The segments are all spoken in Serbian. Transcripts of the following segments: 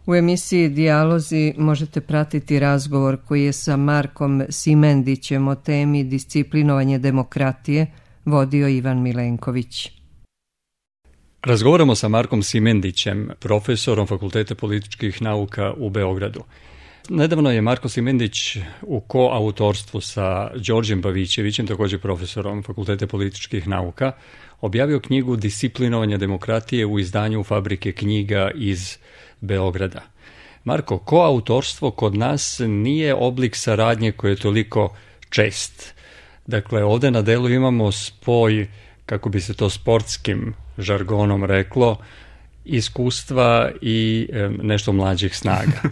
U emisiji Dijalozi možete pratiti razgovor koji je sa Markom Simendićem o temi disciplinovanje demokratije vodio Ivan Milenković. Razgovaramo sa Markom Simendićem, profesorom Fakulteta političkih nauka u Beogradu. Nedavno je Marko Simendić u koautorstvu sa Đorđem Pavićevićem, također profesorom Fakulteta političkih nauka, objavio knjigu Disciplinovanje demokratije u izdanju Fabrike knjiga iz Beograda. Marko, koautorstvo kod nas nije oblik saradnje koji je toliko čest. Dakle, ovdje na delu imamo spoj, kako bi se to sportskim žargonom reklo, iskustva i nešto mlađih snaga.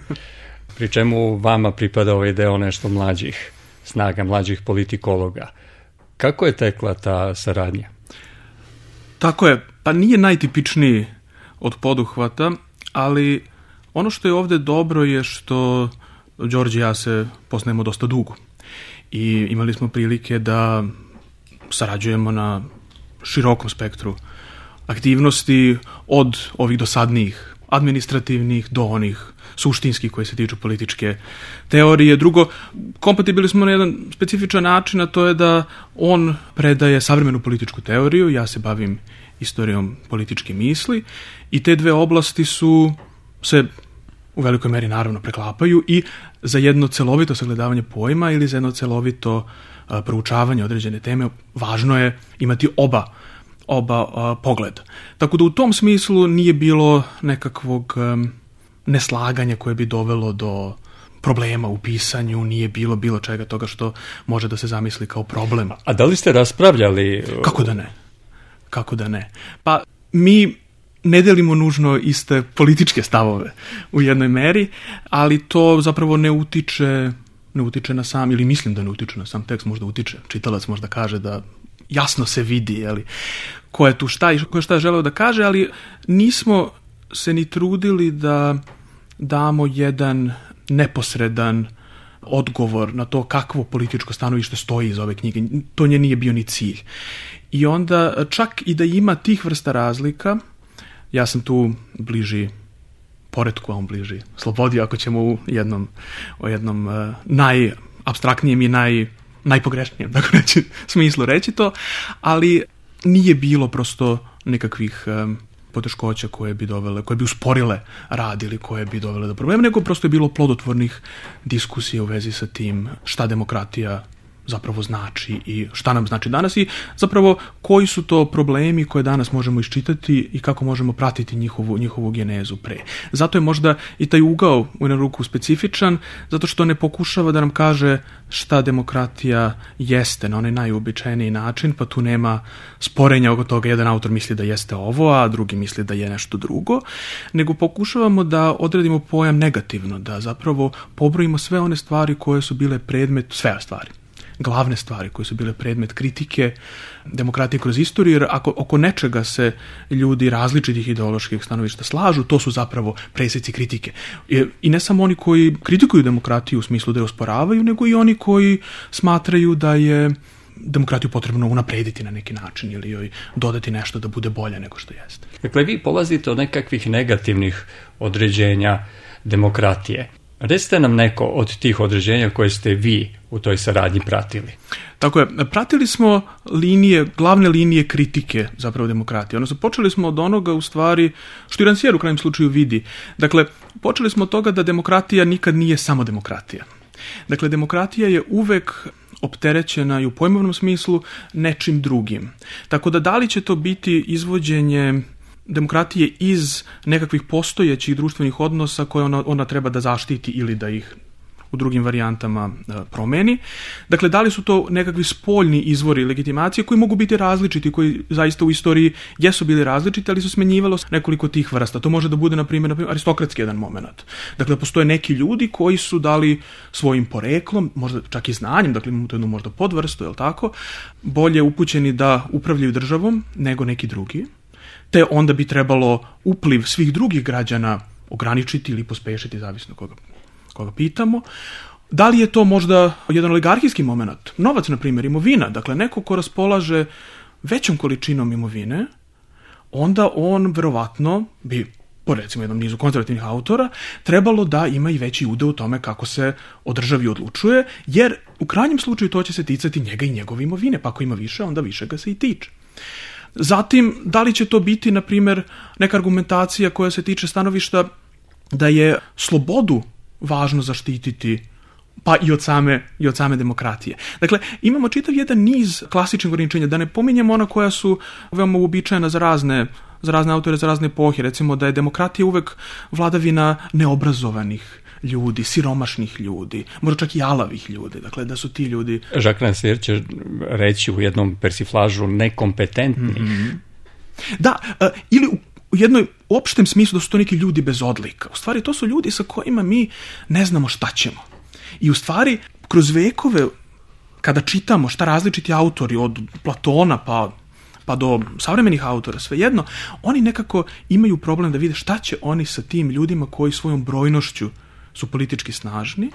Pri čemu vama pripada ovaj deo nešto mlađih snaga, mlađih politikologa. Kako je tekla ta saradnja? Tako je, pa nije najtipičniji od poduhvata, ali ono što je ovdje dobro je što Đorđe i ja se poznajemo dosta dugo i imali smo prilike da sarađujemo na širokom spektru aktivnosti, od ovih dosadnijih administrativnih do onih suštinskih koji se tiču političke teorije. Drugo, kompatibilni smo na jedan specifičan način, a to je da on predaje savremenu političku teoriju, ja se bavim istorijom političke misli i te dve oblasti se u velikoj meri naravno preklapaju i za jedno celovito sagledavanje pojma ili za jedno celovito proučavanje određene teme važno je imati oba pogleda. Tako da u tom smislu nije bilo nekakvog neslaganja koje bi dovelo do problema u pisanju, nije bilo čega toga što može da se zamisli kao problem. A da li ste raspravljali? Kako da ne? Pa mi ne delimo nužno iste političke stavove u jednoj meri, ali to zapravo ne utiče na sam, ili mislim da ne utiče na sam tekst, možda utiče. Čitalac možda kaže da jasno se vidi ko je tu šta i ko je šta želeo da kaže, ali nismo se ni trudili da damo jedan neposredan odgovor na to kakvo političko stanovište stoji iz ove knjige. To nje nije bio ni cilj. I onda čak i da ima tih vrsta razlika, ja sam tu bliži poretku, a on bliži slobodi, ako ćemo u jednom najapstraktnijem i najpogrešnijem smislu reći to, ali nije bilo prosto nekakvih poteškoća koje bi usporile rad ili koje bi dovele do problema, nego prosto je bilo plodotvornih diskusija u vezi sa tim šta demokratija zapravo znači i šta nam znači danas i zapravo koji su to problemi koje danas možemo iščitati i kako možemo pratiti njihovu genezu pre. Zato je možda i taj ugao u jednu ruku specifičan, zato što ne pokušava da nam kaže šta demokratija jeste na onaj najuobičajeniji način, pa tu nema sporenja oko toga, jedan autor misli da jeste ovo, a drugi misli da je nešto drugo, nego pokušavamo da odredimo pojam negativno, da zapravo pobrojimo sve one stvari koje su bile glavne stvari koje su bile predmet kritike demokratije kroz istoriju, jer ako oko nečega se ljudi različitih ideoloških stanovišta slažu, to su zapravo presjeci kritike. I ne samo oni koji kritikuju demokratiju u smislu da je osporavaju, nego i oni koji smatraju da je demokratiju potrebno unaprediti na neki način ili joj dodati nešto da bude bolje nego što jeste. Dakle, vi polazite od nekakvih negativnih određenja demokratije. Recite nam neko od tih određenja koje ste vi u toj saradnji pratili. Tako je, pratili smo glavne linije kritike zapravo demokratije. Odnosno, počeli smo od onoga u stvari, što i Rancière u krajnjem slučaju vidi. Dakle, počeli smo od toga da demokratija nikad nije samo demokratija. Dakle, demokratija je uvek opterećena i u pojmovnom smislu nečim drugim. Tako da li će to biti izvođenje demokratije iz nekakvih postojećih društvenih odnosa koje ona treba da zaštiti ili da ih u drugim varijantama promeni. Dakle, da li su to nekakvi spoljni izvori legitimacije koji mogu biti različiti, koji zaista u istoriji jesu bili različiti, ali su smenjivalo nekoliko tih vrsta. To može da bude, na primjer, aristokratski jedan moment. Dakle, postoje neki ljudi koji su dali svojim poreklom, možda čak i znanjem, dakle imamo to jednu možda podvrstu, je li tako, bolje upućeni da upravljaju državom nego neki drugi, te onda bi trebalo upliv svih drugih građana ograničiti ili pospešiti, zavisno koga pitamo. Da li je to možda jedan oligarhijski moment? Novac, na primjer, imovina. Dakle, neko ko raspolaže većom količinom imovine, onda on verovatno bi po recimo jednom nizu konzervativnih autora, trebalo da ima i veći udeo u tome kako se o državi odlučuje, jer u krajnjem slučaju to će se ticati njega i njegove imovine, pa ako ima više, onda više ga se i tiče. Zatim, da li će to biti, na primjer, neka argumentacija koja se tiče stanovišta da je slobodu važno zaštititi, pa i od same demokratije. Dakle, imamo čitav jedan niz klasičnih ograničenja, da ne pominjemo ona koja su veoma uobičajena za razne autore, za razne epohe, recimo da je demokratija uvek vladavina neobrazovanih ljudi, siromašnih ljudi, možda čak i alavih ljudi, dakle da su ti ljudi... Jacques Rancière će reći u jednom persiflažu nekompetentnih. Mm-hmm. Da, ili u jednom opštem smislu da su to neki ljudi bez odlika. U stvari to su ljudi sa kojima mi ne znamo šta ćemo. I u stvari kroz vekove kada čitamo šta različiti autori od Platona pa do savremenih autora, svejedno, oni nekako imaju problem da vide šta će oni sa tim ljudima koji svojom brojnošću su politički snažni,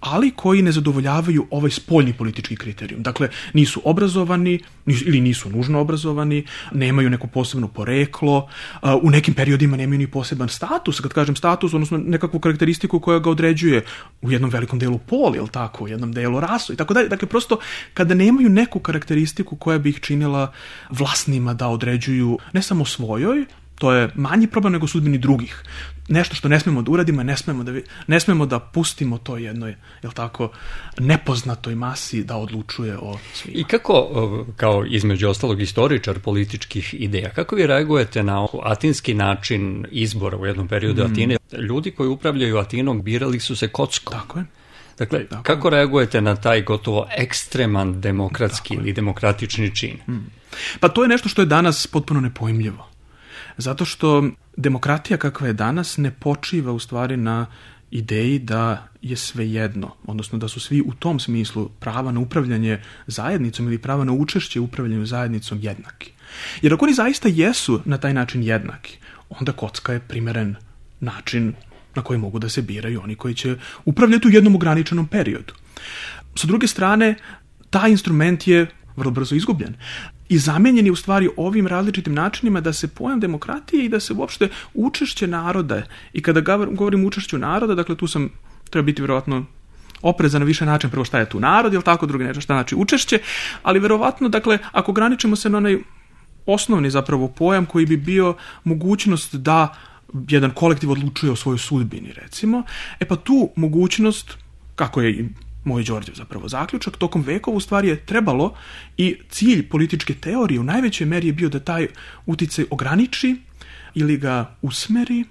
ali koji ne zadovoljavaju ovaj spoljni politički kriterijum. Dakle, nisu obrazovani ili nisu nužno obrazovani, nemaju neko posebno poreklo, u nekim periodima nemaju ni poseban status, kad kažem status, odnosno nekakvu karakteristiku koja ga određuje u jednom velikom delu pol, jel tako, u jednom delu rasu i tako dalje. Dakle, prosto kada nemaju neku karakteristiku koja bi ih činila vlasnima da određuju ne samo svojoj, to je manji problem nego sudbini drugih. Nešto što ne smemo da uradimo, ne smemo da pustimo to jednoj, jel tako, nepoznatoj masi da odlučuje o svima. I kako, kao između ostalog istoričar političkih ideja, kako vi reagujete na atinski način izbora u jednom periodu Atine? Ljudi koji upravljaju Atinom birali su se kockom. Tako je. Dakle, kako reagujete na taj gotovo ekstreman demokratski ili demokratični čin? Pa to je nešto što je danas potpuno nepojmljivo. Zato što demokratija kakva je danas ne počiva u stvari na ideji da je sve jedno, odnosno da su svi u tom smislu prava na upravljanje zajednicom ili prava na učešće u upravljanju zajednicom jednaki. Jer ako oni zaista jesu na taj način jednaki, onda kocka je primeren način na koji mogu da se biraju oni koji će upravljati u jednom ograničenom periodu. Sa druge strane, taj instrument je vrlo brzo izgubljen. I zamenjen je u stvari ovim različitim načinima da se pojam demokratije i da se uopšte učešće naroda, i kada govorim učešću naroda, dakle tu treba biti vjerovatno oprezan na više način, prvo šta je tu narod, ili tako, drugi nešto šta znači učešće, ali vjerovatno, dakle, ako ograničimo se na onaj osnovni zapravo pojam koji bi bio mogućnost da jedan kolektiv odlučuje o svojoj sudbini, recimo, pa tu mogućnost, kako je i moj Đorđev zapravo zaključak, tokom vekova u stvari je trebalo i cilj političke teorije u najvećoj meri je bio da taj uticaj ograniči ili ga usmeri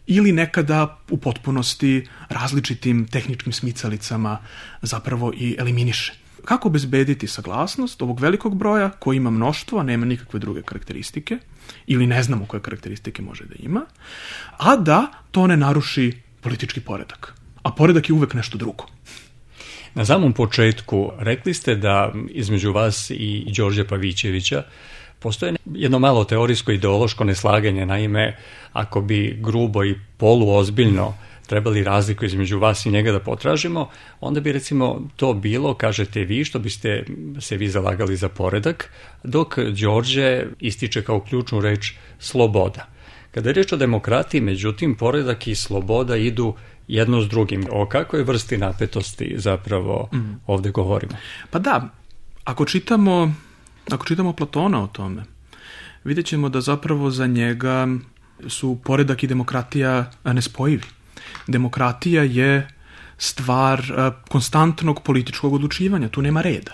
ili nekada u potpunosti različitim tehničkim smicalicama zapravo i eliminiše. Kako obezbediti saglasnost ovog velikog broja koji ima mnoštvo, a nema nikakve druge karakteristike ili ne znamo koje karakteristike može da ima, a da to ne naruši politički poredak. A poredak je uvek nešto drugo. Na samom početku rekli ste da između vas i Đorđa Pavićevića postoje jedno malo teorijsko ideološko neslaganje. Naime, ako bi grubo i poluozbiljno trebali razliku između vas i njega da potražimo, onda bi recimo to bilo, kažete vi, što biste se vi zalagali za poredak, dok Đorđe ističe kao ključnu reč sloboda. Kada je reč o demokratiji, međutim, poredak i sloboda idu jedno s drugim. O kakvoj vrsti napetosti zapravo ovdje govorimo? Pa da, ako čitamo Platona o tome, vidjet ćemo da zapravo za njega su poredak i demokratija nespojivi. Demokratija je stvar konstantnog političkog odlučivanja, tu nema reda.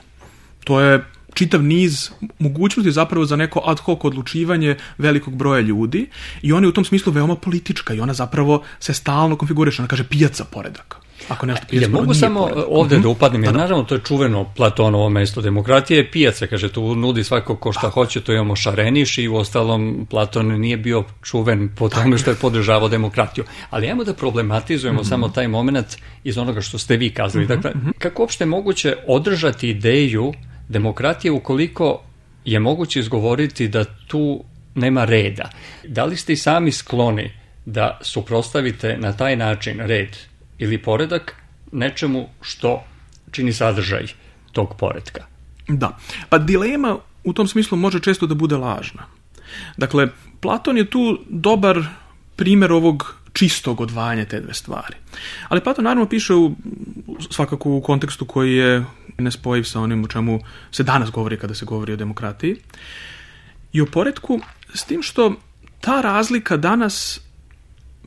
To je čitav niz mogućnosti zapravo za neko ad hoc odlučivanje velikog broja ljudi i ona je u tom smislu veoma politička i ona zapravo se stalno konfiguriše, ona kaže pijaca poredaka. Ako nešto pijaca poredak, mogu samo ovdje da upadnem, jer naravno to je čuveno Platonovo mesto, demokratija je pijaca, kaže, tu nudi svako ko šta hoće, to imamo šareniš i u ostalom Platon nije bio čuven po tome što je podržavao demokratiju. Ali ajmo da problematizujemo samo taj moment iz onoga što ste vi kazali. Dakle, kako uopšte moguće održati ideju demokratije ukoliko je moguće izgovoriti da tu nema reda? Da li ste i sami skloni da suprotstavite na taj način red ili poredak nečemu što čini sadržaj tog poretka? Da, pa dilema u tom smislu može često da bude lažna. Dakle, Platon je tu dobar primjer ovog čistog odvajanja te dve stvari. Ali Platon naravno piše svakako u kontekstu koji je nespojiv sa onim o čemu se danas govori kada se govori o demokratiji i o poretku, s tim što ta razlika danas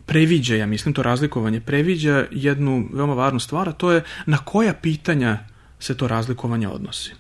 previđa, ja mislim, to razlikovanje previđa jednu veoma važnu stvar, a to je na koja pitanja se to razlikovanje odnosi.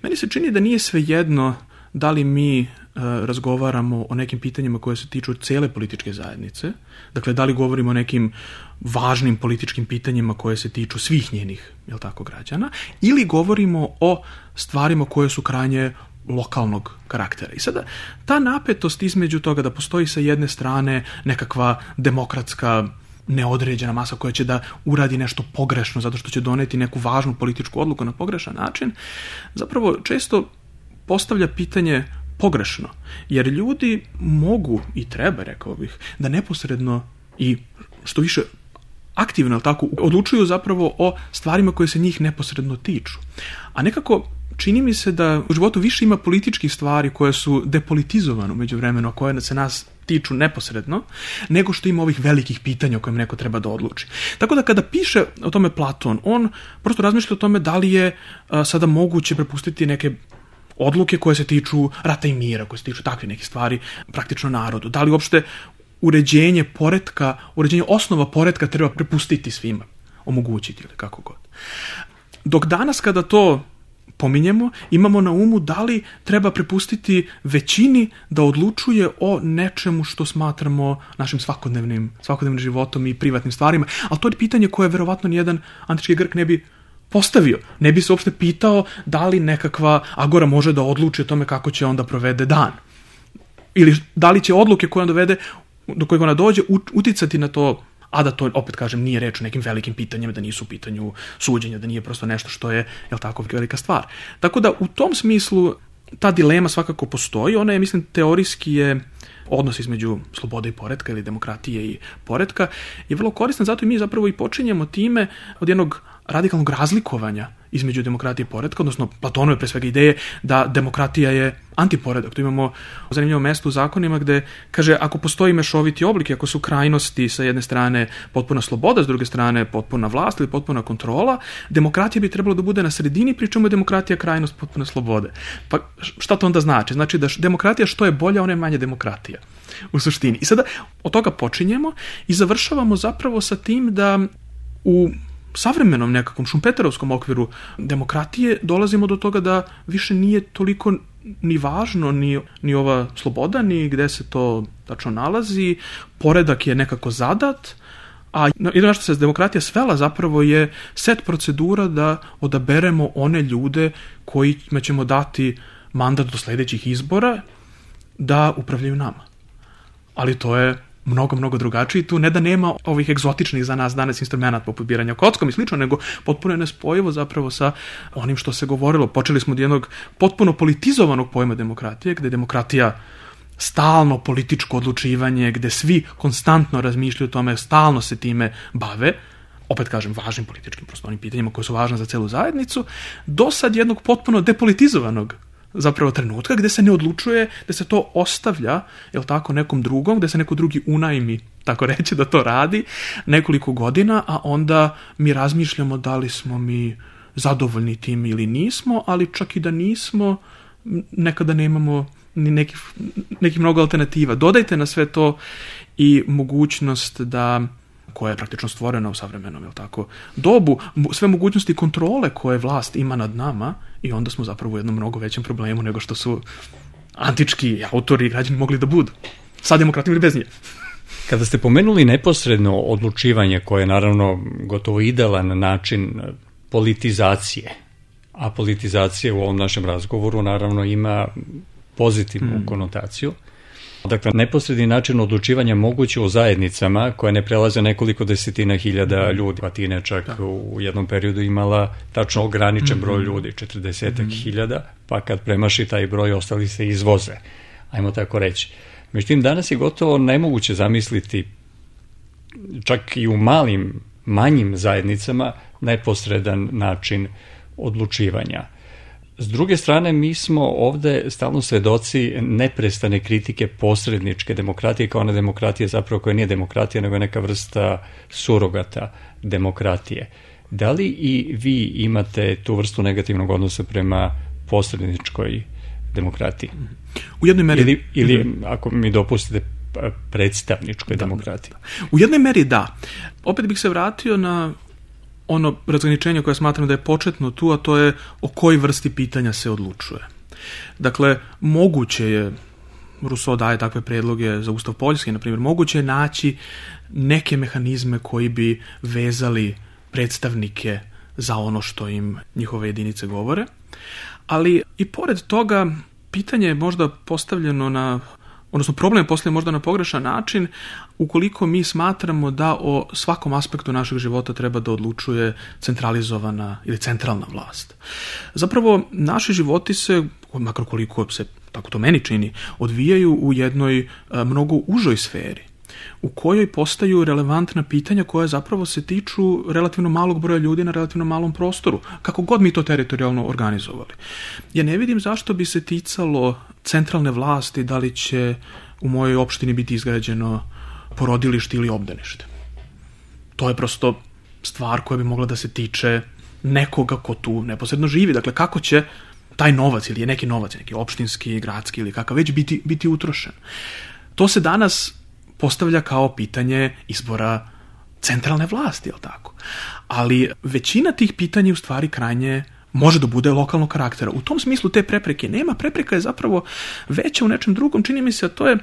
Meni se čini da nije svejedno da li mi razgovaramo o nekim pitanjima koje se tiču cele političke zajednice, dakle da li govorimo o nekim važnim političkim pitanjima koje se tiču svih njenih, jel tako, građana, ili govorimo o stvarima koje su krajnje lokalnog karaktera. I sada ta napetost između toga da postoji sa jedne strane nekakva demokratska neodređena masa koja će da uradi nešto pogrešno zato što će doneti neku važnu političku odluku na pogrešan način, zapravo često postavlja pitanje pogrešno. Jer ljudi mogu i treba, rekao bih, da neposredno i što više aktivno tako odlučuju zapravo o stvarima koje se njih neposredno tiču. A nekako čini mi se da u životu više ima političkih stvari koje su depolitizovane u međuvremenu, a koje se nas tiču neposredno, nego što ima ovih velikih pitanja o kojima neko treba da odluči. Tako da kada piše o tome Platon, on prosto razmišlja o tome da li je sada moguće prepustiti neke odluke koje se tiču rata i mira, koje se tiču takve neke stvari praktično narodu. Da li uopšte uređenje poretka, uređenje osnova poretka treba prepustiti svima, omogućiti ili kako god. Dok danas kada to pominjemo, imamo na umu da li treba prepustiti većini da odlučuje o nečemu što smatramo našim svakodnevnim životom i privatnim stvarima. Ali to je pitanje koje verovatno nijedan antički Grk ne bi postavio. Ne bi se uopšte pitao da li nekakva agora može da odluči o tome kako će onda provede dan. Ili da li će odluke koje on dovede, do kojeg ona dođe, uticati na to, a da to, opet kažem, nije reč o nekim velikim pitanjima, da nisu u pitanju suđenja, da nije prosto nešto što je, jel tako, velika stvar. Tako da u tom smislu ta dilema svakako postoji, ona je, mislim, teorijski je odnos između slobode i poretka ili demokratije i poretka je vrlo koristan, zato i mi zapravo i počinjemo time od jednog radikalnog razlikovanja između demokratije i poretka, odnosno Platonove pre svega ideje da demokratija je antiporedak. Tu imamo zanimljivo mesto u zakonima gde kaže ako postoji mešoviti oblik, ako su krajnosti sa jedne strane potpuna sloboda, s druge strane potpuna vlast ili potpuna kontrola, demokratija bi trebalo da bude na sredini, pri čemu je demokratija krajnost potpune slobode. Pa šta to onda znači? Znači da demokratija što je bolja, ona je manje demokratija u suštini. I sada od toga počinjemo i završavamo zapravo sa tim da u savremenom nekakvom šumpeterovskom okviru demokratije dolazimo do toga da više nije toliko ni važno ni ova sloboda, ni gde se to tačno nalazi, poredak je nekako zadat, a jedno što se demokratija svela zapravo je set procedura da odaberemo one ljude kojima ćemo dati mandat do sledećih izbora da upravljaju nama. Ali to je mnogo drugačiji. Tu ne da nema ovih egzotičnih za nas danas instrumenta poput biranja kockom i slično, nego potpuno je nespojivo zapravo sa onim što se govorilo. Počeli smo od jednog potpuno politizovanog pojma demokratije, gde je demokratija stalno političko odlučivanje, gde svi konstantno razmišljaju o tome, stalno se time bave, opet kažem, važnim političkim prostornim pitanjima koje su važne za celu zajednicu, do sad jednog potpuno depolitizovanog zapravo trenutka gde se ne odlučuje, gde se to ostavlja, jel tako, nekom drugom, gde se neko drugi unajmi, tako reći, da to radi nekoliko godina, a onda mi razmišljamo da li smo mi zadovoljni tim ili nismo, ali čak i da nismo, nekada nemamo ni nekih mnogo alternativa. Dodajte na sve to i mogućnost da, koja je praktično stvorena u savremenom, jel tako, dobu, sve mogućnosti kontrole koje vlast ima nad nama, i onda smo zapravo u jednom mnogo većem problemu nego što su antički autori i građani mogli da budu. Sa demokratijom ili bez nje. Kada ste pomenuli neposredno odlučivanje, koje je naravno gotovo idealan način politizacije, a politizacija u ovom našem razgovoru naravno ima pozitivnu konotaciju. Dakle, neposredni način odlučivanja moguće u zajednicama koje ne prelaze nekoliko desetina hiljada ljudi. Patina čak u jednom periodu imala tačno ograničen broj ljudi, 40.000, pa kad premaši taj broj ostali se izvoze, ajmo tako reći. Međutim, danas je gotovo nemoguće zamisliti čak i u manjim zajednicama neposredan način odlučivanja. S druge strane, mi smo ovde stalno svedoci neprestane kritike posredničke demokratije, kao ona demokratija zapravo koja nije demokratija, nego je neka vrsta surogata demokratije. Da li i vi imate tu vrstu negativnog odnosa prema posredničkoj demokratiji? U jednoj meri... Ili ako mi dopustite, predstavničkoj demokratiji? U jednoj meri da. Opet bih se vratio na ono razgraničenje koje smatram da je početno tu, a to je o kojoj vrsti pitanja se odlučuje. Dakle, moguće je, Rousseau daje takve predloge za Ustav Poljske, na primjer, moguće je naći neke mehanizme koji bi vezali predstavnike za ono što im njihove jedinice govore, ali i pored toga pitanje je možda postavljeno odnosno problem je postavljen možda na pogrešan način ukoliko mi smatramo da o svakom aspektu našeg života treba da odlučuje centralizovana ili centralna vlast. Zapravo, naši životi se, makar koliko se, tako to meni čini, odvijaju u jednoj mnogo užoj sferi, u kojoj postaju relevantna pitanja koja zapravo se tiču relativno malog broja ljudi na relativno malom prostoru, kako god mi to teritorijalno organizovali. Ja ne vidim zašto bi se ticalo centralne vlasti da li će u mojoj opštini biti izgrađeno porodilište ili obdanište. To je prosto stvar koja bi mogla da se tiče nekoga ko tu neposredno živi. Dakle, kako će taj novac ili je neki novac, neki opštinski, gradski ili kakav već biti utrošen. To se danas postavlja kao pitanje izbora centralne vlasti, jel tako? Ali većina tih pitanja u stvari krajnje može da bude lokalnog karaktera. U tom smislu te prepreke nema. Prepreka je zapravo veća u nečem drugom. Čini mi se, a to je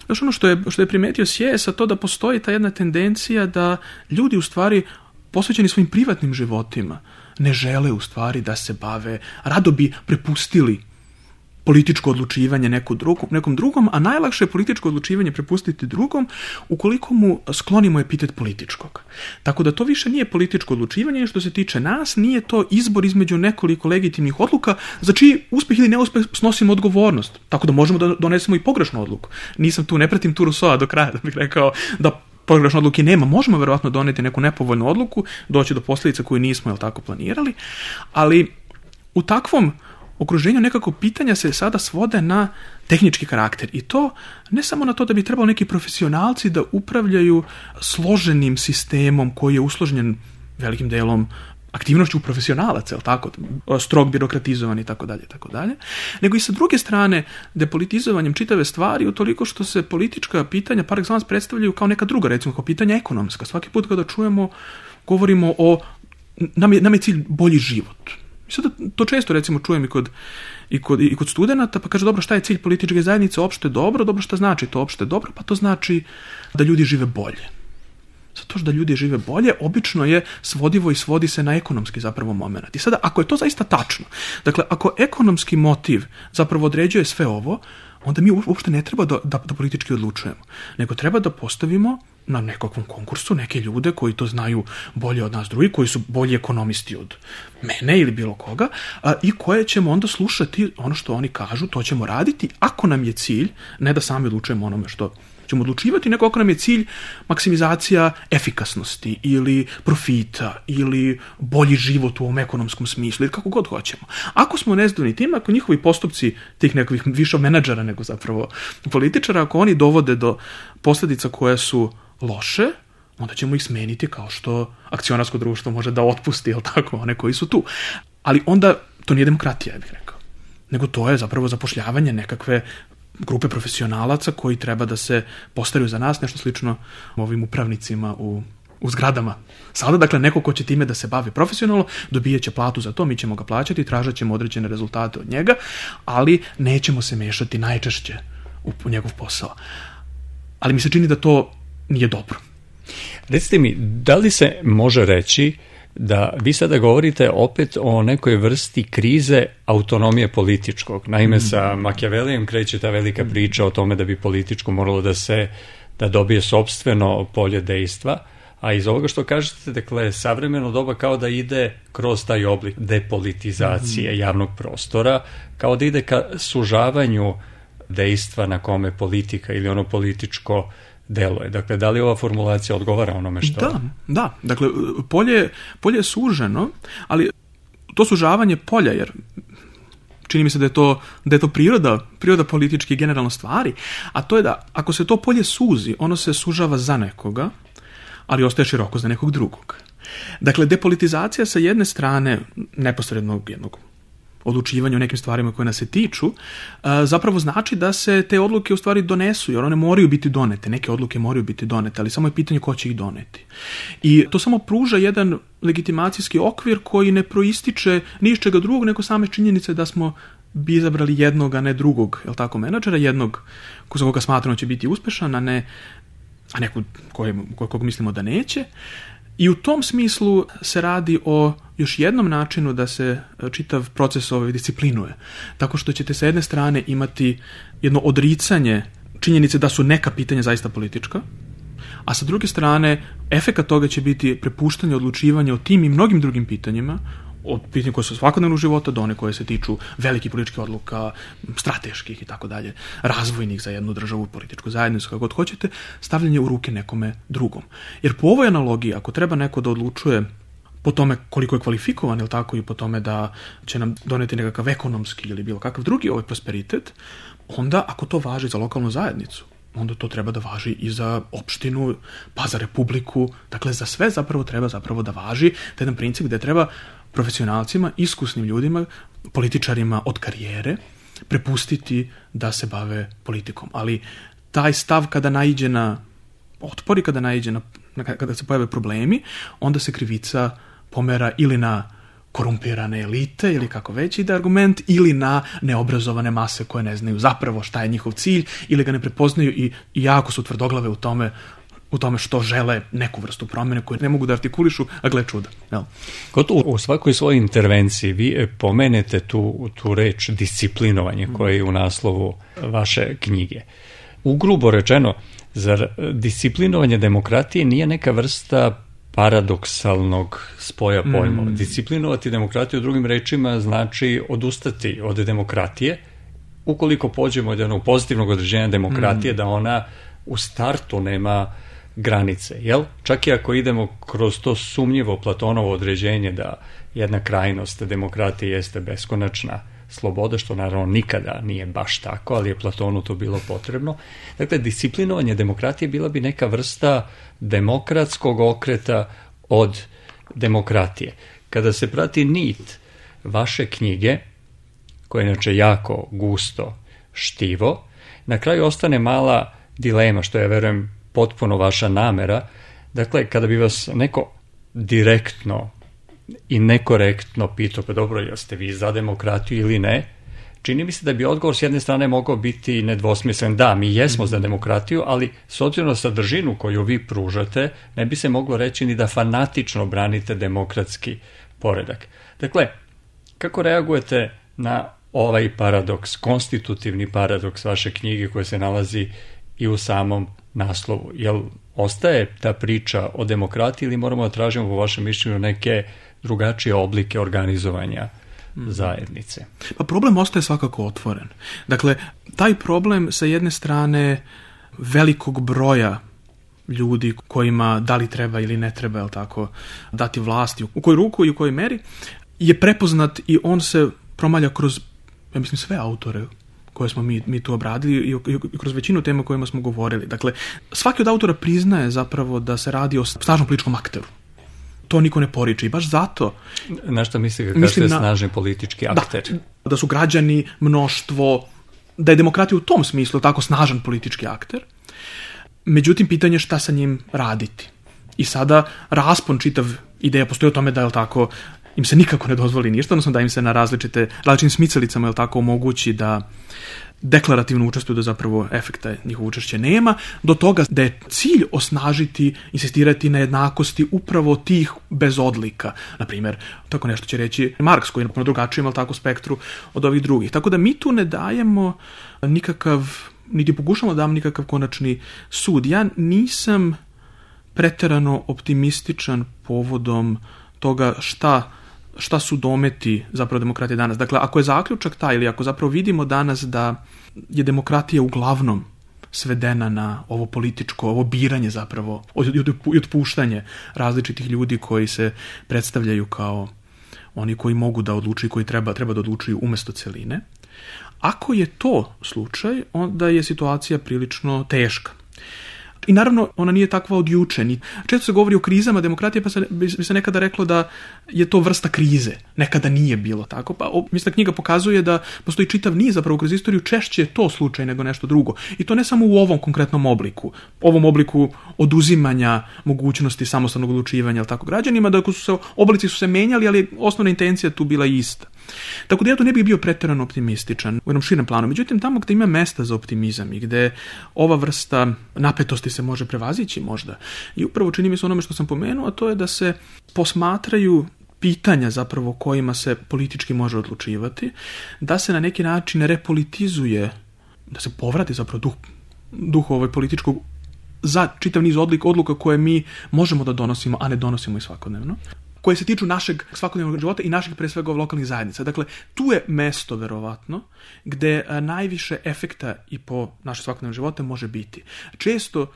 još ono što je primetio Sijes, a to da postoji ta jedna tendencija da ljudi u stvari posvećeni svojim privatnim životima ne žele u stvari da se bave, rado bi prepustili političko odlučivanje nekom drugom, a najlakše je političko odlučivanje prepustiti drugom ukoliko mu sklonimo epitet političkog. Tako da to više nije političko odlučivanje, što se tiče nas, nije to izbor između nekoliko legitimnih odluka za čiji uspeh ili neuspeh snosimo odgovornost. Tako da možemo da donesemo i pogrešnu odluku. Ne pratim tu Rousseau do kraja da bih rekao da pogrešne odluke nema. Možemo verovatno doneti neku nepovoljnu odluku, doći do posljedica koju nismo tako planirali, ali u takvom okruženju nekako pitanja se sada svode na tehnički karakter i to ne samo na to da bi trebalo neki profesionalci da upravljaju složenim sistemom koji je usložnjen velikim delom aktivnošću profesionalaca, tako, strog birokratizovan i tako dalje, nego i sa druge strane depolitizovanjem čitave stvari utoliko što se politička pitanja par excellence predstavljaju kao neka druga, recimo kao pitanja ekonomska. Svaki put kada čujemo, govorimo o, nam je cilj bolji život. Sada to često recimo čujem i kod studenata, pa kaže, dobro, šta je cilj političke zajednice? Opšte dobro, dobro, šta znači to opšte dobro? Pa to znači da ljudi žive bolje. Zato što da ljudi žive bolje, obično je svodivo i svodi se na ekonomski zapravo moment. I sada, ako je to zaista tačno, dakle, ako ekonomski motiv zapravo određuje sve ovo, onda mi uopšte ne treba da politički odlučujemo, nego treba da postavimo na nekakvom konkursu neke ljude koji to znaju bolje od nas drugi, koji su bolji ekonomisti od mene ili bilo koga, i koje ćemo onda slušati ono što oni kažu, to ćemo raditi, ako nam je cilj, ne da sami odlučujemo onome što ćemo odlučivati, nego ako nam je cilj maksimizacija efikasnosti ili profita ili bolji život u ovom ekonomskom smislu ili kako god hoćemo. Ako smo nezadovoljni tim, ako njihovi postupci tih nekakvih više menadžera nego zapravo političara, ako oni dovode do posljedica koje su loše, onda ćemo ih smeniti kao što akcionarsko društvo može da otpusti, jel tako, one koji su tu. Ali onda to nije demokratija, ja bih rekao. Nego to je zapravo zapošljavanje nekakve grupe profesionalaca koji treba da se postaraju za nas, nešto slično ovim upravnicima u zgradama. Sada, dakle, neko ko će time da se bavi profesionalno, dobijat će platu za to, mi ćemo ga plaćati, tražat ćemo određene rezultate od njega, ali nećemo se mešati najčešće u njegov posao. Ali mi se čini da to nije dobro. Recite mi, da li se može reći da vi sada govorite opet o nekoj vrsti krize autonomije političkog? Naime, sa Makijavelijem kreće ta velika priča o tome da bi političko moralo da dobije sopstveno polje dejstva, a iz ovoga što kažete, dakle, savremeno doba kao da ide kroz taj oblik depolitizacije javnog prostora, kao da ide ka sužavanju dejstva na kome politika ili ono političko deluje. Dakle, da li ova formulacija odgovara onome što... Da. Dakle, polje je suženo, ali to sužavanje polja, jer čini mi se da je to priroda političke generalno stvari, a to je da ako se to polje suzi, ono se sužava za nekoga, ali ostaje široko za nekog drugog. Dakle, depolitizacija sa jedne strane neposrednog jednog odlučivanja o nekim stvarima koje nas se tiču, zapravo znači da se te odluke u stvari donesu, jer one moraju biti donete, neke odluke moraju biti donete, ali samo je pitanje ko će ih doneti. I to samo pruža jedan legitimacijski okvir koji ne proističe ni iz čega drugog, nego same činjenice da smo bi izabrali jednog, a ne drugog, jel tako, menadžera, jednog za koga smatramo će biti uspešan, a nekog kog mislimo da neće. I u tom smislu se radi o još jednom načinu da se čitav proces disciplinuje. Tako što ćete sa jedne strane imati jedno odricanje činjenice da su neka pitanja zaista politička, a sa druge strane efekat toga će biti prepuštanje odlučivanja o tim i mnogim drugim pitanjima, od pitanja koje su svakodnevnog života do one koje se tiču velikih političkih odluka, strateških i tako dalje, razvojnih za jednu državu, političku zajednicu, kako god hoćete, stavljanje u ruke nekome drugom. Jer po ovoj analogiji, ako treba neko da odlučuje po tome koliko je kvalifikovan, ili tako, i po tome da će nam doneti nekakav ekonomski ili bilo kakav drugi prosperitet, onda ako to važi za lokalnu zajednicu, onda to treba da važi i za opštinu, pa za republiku, dakle za sve zapravo treba da važi taj jedan princip gde treba profesionalcima, iskusnim ljudima, političarima od karijere prepustiti da se bave politikom. Ali taj stav kada naiđe na otpor i kada se pojave problemi, onda se krivica pomera ili na korumpirane elite ili kako već ide argument, ili na neobrazovane mase koje ne znaju zapravo šta je njihov cilj ili ga ne prepoznaju i jako su tvrdoglave u tome što žele neku vrstu promjene koju ne mogu da artikulišu, a gle čuda. U svakoj svojoj intervenciji vi pomenete tu reč disciplinovanje koja je u naslovu vaše knjige. Ugrubo rečeno, zar disciplinovanje demokratije nije neka vrsta paradoksalnog spoja pojmova? Disciplinovati demokratiju, drugim rečima, znači odustati od demokratije, ukoliko pođemo od jednog pozitivnog određenja demokratije, da ona u startu nema granice, jel? Čak i ako idemo kroz to sumnjivo Platonovo određenje da jedna krajnost demokratije jeste beskonačna sloboda, što naravno nikada nije baš tako, ali je Platonu to bilo potrebno. Dakle, disciplinovanje demokratije bila bi neka vrsta demokratskog okreta od demokratije. Kada se prati nit vaše knjige, koje je inače jako gusto štivo, na kraju ostane mala dilema, što ja verujem potpuno vaša namera. Dakle, kada bi vas neko direktno i nekorektno pitao, pa dobro, jeste vi za demokratiju ili ne, čini mi se da bi odgovor s jedne strane mogao biti nedvosmislen. Da, mi jesmo za demokratiju, ali s obzirom na sadržinu koju vi pružate, ne bi se moglo reći ni da fanatično branite demokratski poredak. Dakle, kako reagujete na ovaj paradoks, konstitutivni paradoks vaše knjige koje se nalazi i u samom naslovu? Jel ostaje ta priča o demokratiji ili moramo da tražimo po vašem mišljenju neke drugačije oblike organizovanja zajednice? Pa problem ostaje svakako otvoren. Dakle, taj problem sa jedne strane velikog broja ljudi kojima da li treba ili ne treba, jel tako, dati vlasti, u koju ruku i u kojoj meri, je prepoznat i on se promalja kroz, ja mislim, sve autore koje smo mi tu obradili i kroz većinu tema o kojima smo govorili. Dakle, svaki od autora priznaje zapravo da se radi o snažnom političkom akteru. To niko ne poriče i baš zato... Na što mislite kad kažete snažni politički akter? Da su građani, mnoštvo, da je demokratija u tom smislu tako snažan politički akter. Međutim, pitanje je šta sa njim raditi. I sada raspon čitav ideja postoji o tome da je tako im se nikako ne dozvoli ništa, odnosno da im se na različitim smicalicama, jel tako, omogući da deklarativno učestvuju, da zapravo efekta njihovo učešće nema, do toga da je cilj osnažiti, insistirati na jednakosti upravo tih bez odlika. Naprimjer, tako nešto će reći Marks, koji je na drugačijem, jel tako, spektru od ovih drugih. Tako da mi tu ne dajemo niti pokušamo da dam nikakav konačni sud. Ja nisam preterano optimističan povodom toga šta su dometi zapravo demokratije danas. Dakle, ako je zaključak taj, ili ako zapravo vidimo danas da je demokratija uglavnom svedena na ovo političko, ovo biranje zapravo i otpuštanje različitih ljudi koji se predstavljaju kao oni koji mogu da odlučuju, koji treba da odlučuju umjesto celine. Ako je to slučaj, onda je situacija prilično teška. I naravno, ona nije takva od juče. Često se govori o krizama demokratije, pa bi se nekada reklo da je to vrsta krize. Nekada nije bilo tako. Pa mislim da knjiga pokazuje da postoji čitav niz, zapravo kroz istoriju, češće je to slučaj nego nešto drugo. I to ne samo u ovom konkretnom obliku. Ovom obliku oduzimanja mogućnosti samostalnog odlučivanja, ali tako, građanima, da oblici su se menjali, ali osnovna intencija tu bila ista. Tako da ja tu ne bih bio pretjerano optimističan u jednom širem planu. Međutim, tamo gdje ima mesta za optimizam i gdje ova vrsta napetosti se može prevazići možda. I upravo čini mi se onome što sam pomenuo, a to je da se posmatraju pitanja zapravo kojima se politički može odlučivati, da se na neki način repolitizuje, da se povrati zapravo duh političkog za čitav niz odluka koje mi možemo da donosimo, a ne donosimo i svakodnevno, koje se tiču našeg svakodnevnog života i naših pre svega lokalnih zajednica. Dakle, tu je mesto, verovatno, gde najviše efekta i po naše svakodnevne živote može biti. Često,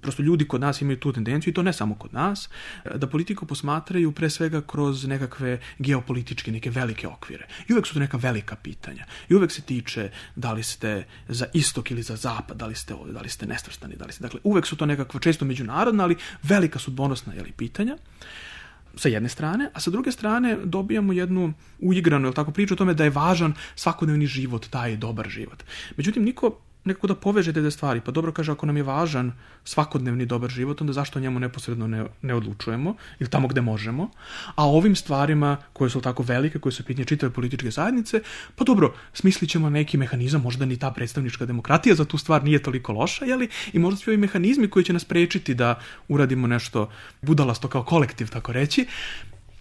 prosto ljudi kod nas imaju tu tendenciju, i to ne samo kod nas, da politiku posmatraju pre svega kroz nekakve geopolitičke, neke velike okvire. I uvek su to neka velika pitanja. I uvek se tiče da li ste za istok ili za zapad, da li ste ovdje, da li ste nesvrstani, da li ste... Dakle, uvek su to nekakva često međunarodna, ali velika sudbonosna pitanja. Sa jedne strane, a sa druge strane dobijamo jednu uigranu priču o tome da je važan svakodnevni život, taj dobar život. Međutim, nekako da poveže te stvari, pa dobro kaže, ako nam je važan svakodnevni dobar život, onda zašto o njemu neposredno ne odlučujemo, ili tamo gde možemo, a o ovim stvarima koje su tako velike, koje su pitanje čitave političke zajednice, pa dobro, smislit ćemo neki mehanizam, možda ni ta predstavnička demokratija za tu stvar nije toliko loša, i možda svi ovi mehanizmi koji će nas prečiti da uradimo nešto budalasto kao kolektiv, tako reći,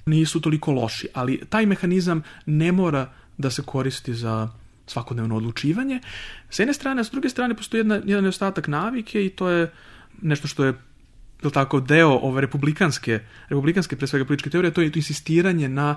nisu toliko loši, ali taj mehanizam ne mora da se koristi za svakodnevno odlučivanje. S jedne strane, a s druge strane postoji jedan nedostatak navike i to je nešto što je deo ove republikanske pre svega političke teorije, to je to insistiranje na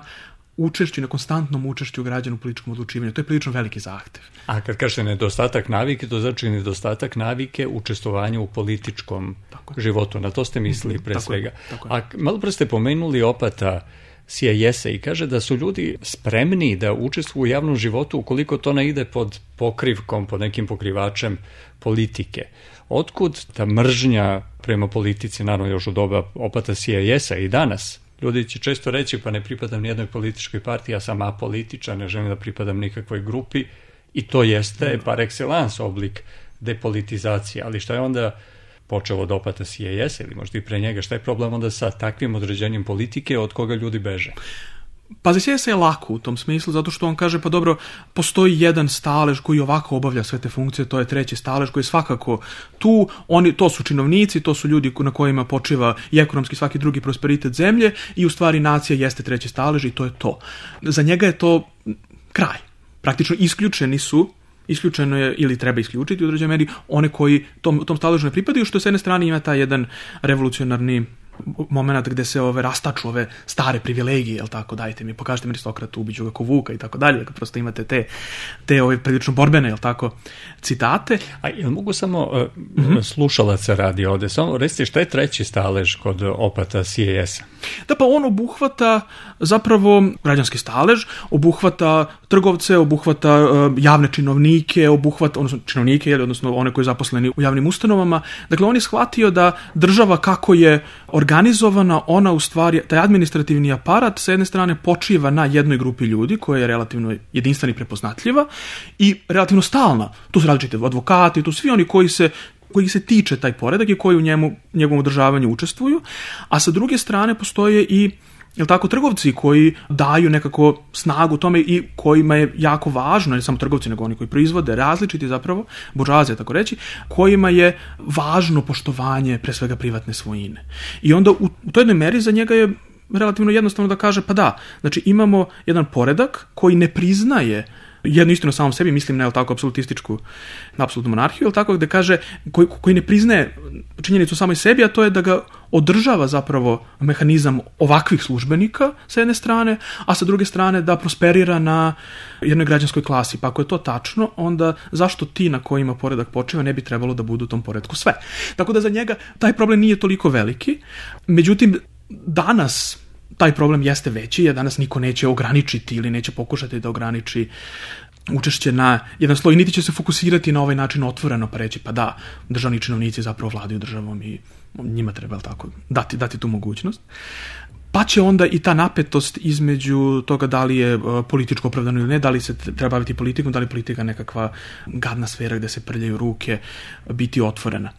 učešću, na konstantnom učešću građana u političkom odlučivanju. To je prilično veliki zahtev. A kad kažete nedostatak navike, to znači nedostatak navike učestvovanja u političkom životu. Na to ste mislili pre svega. A malo pre ste pomenuli opata CIS-a i kaže da su ljudi spremni da učestvuju u javnom životu ukoliko to ne ide pod pokrivkom, pod nekim pokrivačem politike. Otkud ta mržnja prema politici, naravno još u doba opata CIS-a i danas? Ljudi će često reći, pa ne pripadam nijednoj političkoj partiji, ja sam apolitičan, ne želim da pripadam nikakvoj grupi, i to jeste par excellence oblik depolitizacije. Ali šta je onda počelo od opata CIS ili možda i pre njega, šta je problem onda sa takvim određenjem politike od koga ljudi beže? Pa za CIS je lako u tom smislu, zato što on kaže, pa dobro, postoji jedan stalež koji ovako obavlja sve te funkcije, to je treći stalež koji je svakako tu, to su činovnici, to su ljudi na kojima počiva i ekonomski svaki drugi prosperitet zemlje i u stvari nacija jeste treći stalež i to je to. Za njega je to kraj. Praktično isključeno je ili treba isključiti u određenoj meri one koji tom staležu ne pripadaju, što s jedne strane ima taj jedan revolucionarni moment gde se rastaču ove stare privilegije, jel tako, dajte mi, pokažite mi aristokratu, ubiću ga ko vuka i tako dalje, prosto imate te prilično borbene, jel tako, citate. A jel mogu samo slušalaca radi ovde, samo recite šta je treći stalež kod opata CIS-a? Da, pa on obuhvata zapravo građanski stalež, obuhvata trgovce, obuhvata javne činovnike, odnosno činovnike, odnosno one koji su zaposleni u javnim ustanovama. Dakle, on je shvatio da država kako je organizovana, ona u stvari, taj administrativni aparat sa jedne strane počiva na jednoj grupi ljudi koja je relativno jedinstvena i prepoznatljiva i relativno stalna. Tu su različite advokati, tu svi oni koji se tiče taj poredak i koji u njegovom održavanju učestvuju, a sa druge strane postoje i trgovci koji daju nekako snagu tome i kojima je jako važno, ne samo trgovci nego oni koji proizvode, različiti zapravo, buržoazija tako reći, kojima je važno poštovanje pre svega privatne svojine. I onda u toj jednoj meri za njega je relativno jednostavno da kaže, pa da, znači imamo jedan poredak koji ne priznaje jednu istinu samom sebi, mislim na apsolutističku, na apsolutnu monarhiju, gde kaže, koji ne priznaje činjenicu samoj sebi, a to je da ga održava zapravo mehanizam ovakvih službenika sa jedne strane, a sa druge strane da prosperira na jednoj građanskoj klasi. Pa ako je to tačno, onda zašto ti na kojima poredak počiva ne bi trebalo da budu u tom poredku sve? Tako da za njega taj problem nije toliko veliki. Međutim, danas taj problem jeste veći, jer danas niko neće ograničiti ili neće pokušati da ograniči učešće na jedan sloj, niti će se fokusirati na ovaj način otvoreno pa reći pa da, državni činovnici zapravo vladaju državom i njima treba tako dati tu mogućnost. Pa će onda i ta napetost između toga da li je političko opravdano ili ne, da li se treba baviti politikom, da li politika nekakva gadna sfera gde se prljaju ruke, biti otvorena.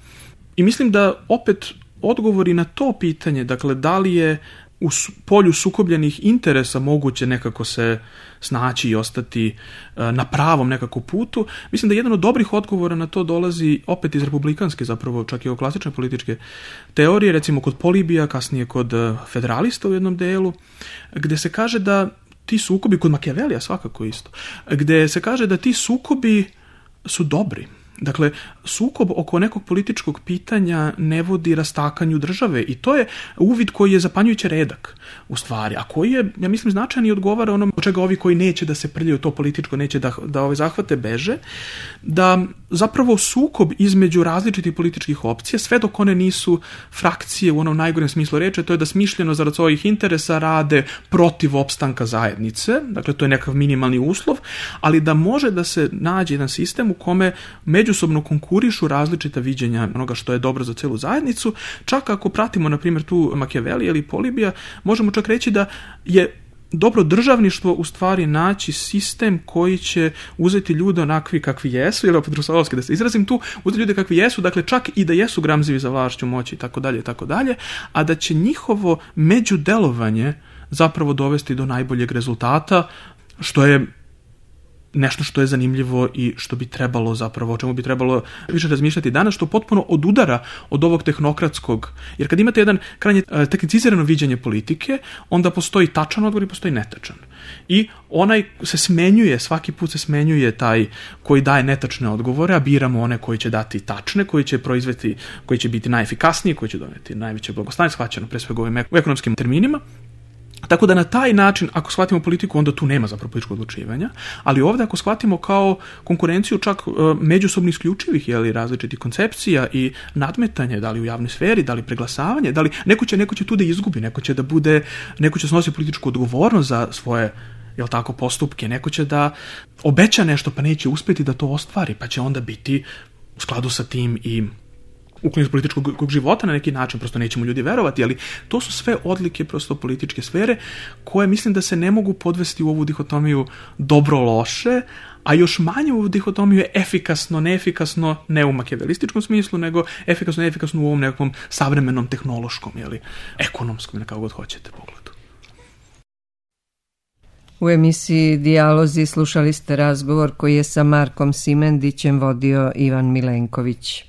I mislim da opet odgovori na to pitanje, dakle da li je u polju sukobljenih interesa moguće nekako se snaći i ostati na pravom nekako putu. Mislim da jedan od dobrih odgovora na to dolazi opet iz republikanske, zapravo čak i od klasične političke teorije, recimo kod Polibija, kasnije kod federalista u jednom delu, gde se kaže da ti sukobi, kod Machiavellija svakako isto, gde se kaže da ti sukobi su dobri. Dakle, sukob oko nekog političkog pitanja ne vodi rastakanju države i to je uvid koji je zapanjujuće redak u stvari, a koji je, ja mislim, značajan i odgovara onom od čega ovi koji neće da se prljaju to političko, neće da ove zahvate beže, da zapravo sukob između različitih političkih opcija, sve dok one nisu frakcije u onom najgorem smislu reče, to je da smišljeno zarad svojih interesa rade protiv opstanka zajednice, dakle to je nekakav minimalni uslov, ali da može da se nađe jedan sistem u kome međusobno konkurišu različita viđenja onoga što je dobro za celu zajednicu, čak ako pratimo, na primjer, tu Machiavellija ili Polibija, možemo čak reći da je dobro državništvo u stvari naći sistem koji će uzeti ljude onakvi kakvi jesu, ili opet rusovski da se izrazim tu, uzeti ljude kakvi jesu, dakle čak i da jesu gramzivi za vlašću, moći i tako dalje, a da će njihovo međudelovanje zapravo dovesti do najboljeg rezultata, što je nešto što je zanimljivo i što bi trebalo zapravo, o čemu bi trebalo više razmišljati danas, što potpuno odudara od ovog tehnokratskog, jer kad imate jedan krajnje tehnicizirano viđenje politike, onda postoji tačan odgovor i postoji netačan. I onaj se smenjuje, svaki put se smenjuje taj koji daje netačne odgovore, a biramo one koji će dati tačne, koji će proizvesti, koji će biti najefikasniji, koji će doneti najveće blagostanje, shvaćeno pre svega ovim ekonomskim terminima. Tako da na taj način, ako shvatimo politiku, onda tu nema zapravo političkog odlučivanja, ali ovdje ako shvatimo kao konkurenciju čak međusobno isključivih različitih koncepcija i nadmetanje, da li u javnoj sferi, da li preglasavanje, da li neko će tu da izgubi, neko će snositi političku odgovornost za svoje postupke, neko će da obeća nešto pa neće uspjeti da to ostvari, pa će onda biti u skladu sa tim i ukloniti političkog života na neki način, prosto nećemo ljudi verovati, ali to su sve odlike prosto političke sfere koje mislim da se ne mogu podvesti u ovu dihotomiju dobro-loše, a još manje u ovu dihotomiju efikasno-neefikasno, ne u makiavelističkom smislu, nego efikasno-neefikasno u ovom nekom savremenom tehnološkom, ekonomskom, kako god hoćete pogledu. U emisiji Dijalozi slušali ste razgovor koji je sa Markom Simendićem vodio Ivan Milenković.